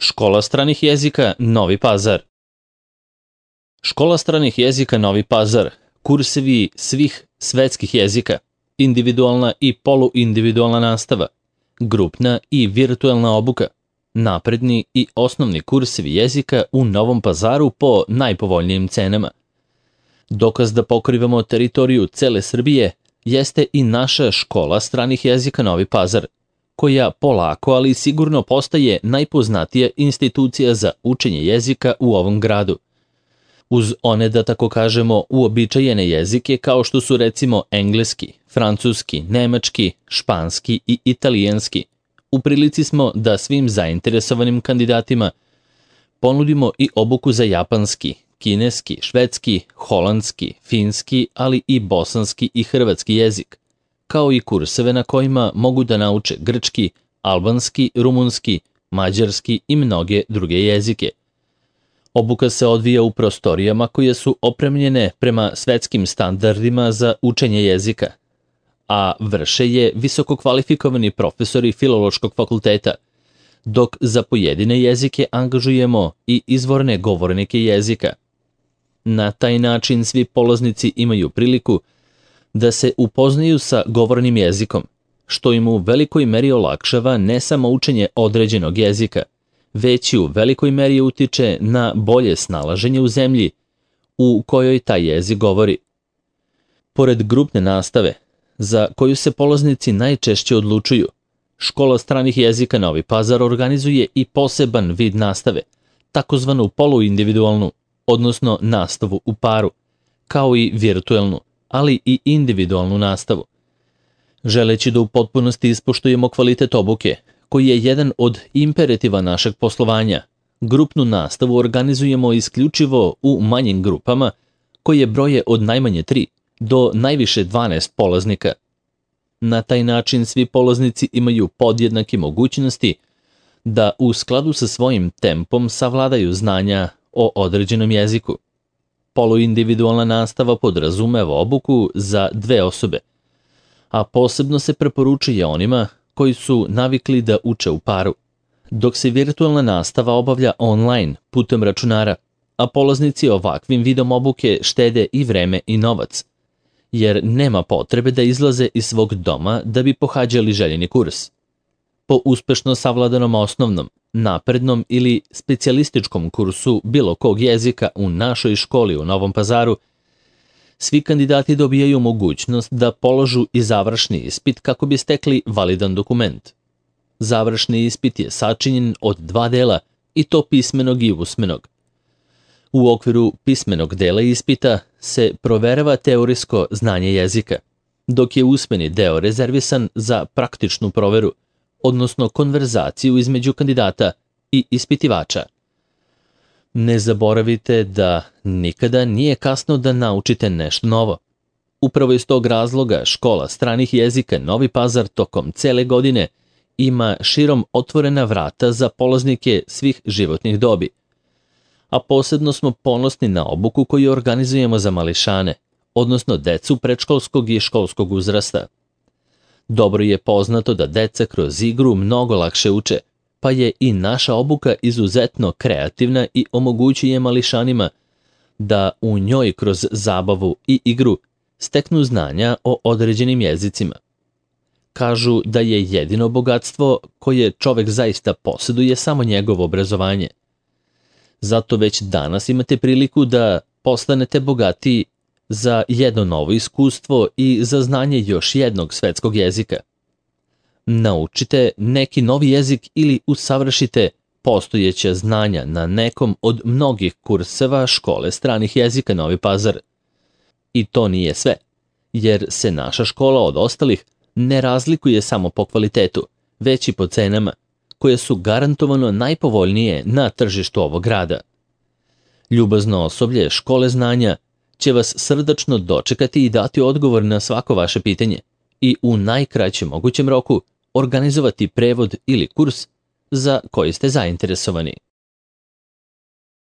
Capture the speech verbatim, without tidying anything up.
Škola stranih jezika Novi Pazar. Škola stranih jezika Novi Pazar, kursevi svih svetskih jezika, individualna i poluindividualna nastava, grupna i virtualna obuka, napredni i osnovni kursevi jezika u Novom Pazaru po najpovoljnijim cenama. Dokaz da pokrivamo teritoriju cele Srbije jeste i naša škola stranih jezika Novi Pazar, koja polako, ali sigurno postaje najpoznatija institucija za učenje jezika u ovom gradu. Uz one, da tako kažemo, uobičajene jezike kao što su recimo engleski, francuski, nemački, španski i italijanski, u prilici smo da svim zainteresovanim kandidatima ponudimo i obuku za japanski, kineski, švedski, holandski, finski, ali i bosanski i hrvatski jezik, kao i kurseve na kojima mogu da nauče grčki, albanski, rumunski, mađarski i mnoge druge jezike. Obuka se odvija u prostorijama koje su opremljene prema svetskim standardima za učenje jezika, a vrše je visoko kvalifikovani profesori Filološkog fakulteta, dok za pojedine jezike angažujemo i izvorne govornike jezika. Na taj način svi polaznici imaju priliku da se upoznaju sa govornim jezikom, što im u velikoj meri olakšava ne samo učenje određenog jezika, već i u velikoj meri utiče na bolje snalaženje u zemlji u kojoj taj jezik govori. Pored grupne nastave, za koju se polaznici najčešće odlučuju, Škola stranih jezika Novi Pazar organizuje i poseban vid nastave, takozvanu poluindividualnu, odnosno nastavu u paru, kao i virtuelnu, ali i individualnu nastavu. Želeći da u potpunosti ispoštujemo kvalitet obuke, koji je jedan od imperativa našeg poslovanja, grupnu nastavu organizujemo isključivo u manjim grupama, koje broje od najmanje tri do najviše dvanaest polaznika. Na taj način svi polaznici imaju podjednake mogućnosti da u skladu sa svojim tempom savladaju znanja o određenom jeziku. Poluindividualna nastava podrazumeva obuku za dve osobe, a posebno se preporučuje onima koji su navikli da uče u paru, dok se virtualna nastava obavlja online putem računara, a polaznici ovakvim vidom obuke štede i vreme i novac, jer nema potrebe da izlaze iz svog doma da bi pohađali željeni kurs. Po uspešno savladanom osnovnom, naprednom ili specijalističkom kursu bilo kog jezika u našoj školi u Novom Pazaru, svi kandidati dobijaju mogućnost da položu i završni ispit kako bi stekli validan dokument. Završni ispit je sačinjen od dva dela, i to pismenog i usmenog. U okviru pismenog dela ispita se proverava teorijsko znanje jezika, dok je usmeni deo rezervisan za praktičnu proveru, odnosno konverzaciju između kandidata i ispitivača. Ne zaboravite da nikada nije kasno da naučite nešto novo. Upravo iz tog razloga Škola stranih jezika Novi Pazar tokom cele godine ima širom otvorena vrata za polaznike svih životnih dobi. A posebno smo ponosni na obuku koju organizujemo za mališane, odnosno decu predškolskog i školskog uzrasta. Dobro je poznato da deca kroz igru mnogo lakše uče, pa je i naša obuka izuzetno kreativna i omogućuje mališanima da u njoj kroz zabavu i igru steknu znanja o određenim jezicima. Kažu da je jedino bogatstvo koje čovek zaista posjeduje samo njegovo obrazovanje. Zato već danas imate priliku da postanete bogatiji za jedno novo iskustvo i za znanje još jednog svetskog jezika. Naučite neki novi jezik ili usavršite postojeća znanja na nekom od mnogih kurseva Škole stranih jezika Novi Pazar. I to nije sve, jer se naša škola od ostalih ne razlikuje samo po kvalitetu, već i po cenama, koje su garantovano najpovoljnije na tržištu ovog grada. Ljubazno osoblje Škole znanja će vas srdačno dočekati i dati odgovor na svako vaše pitanje i u najkraćem mogućem roku organizovati prevod ili kurs za koji ste zainteresovani.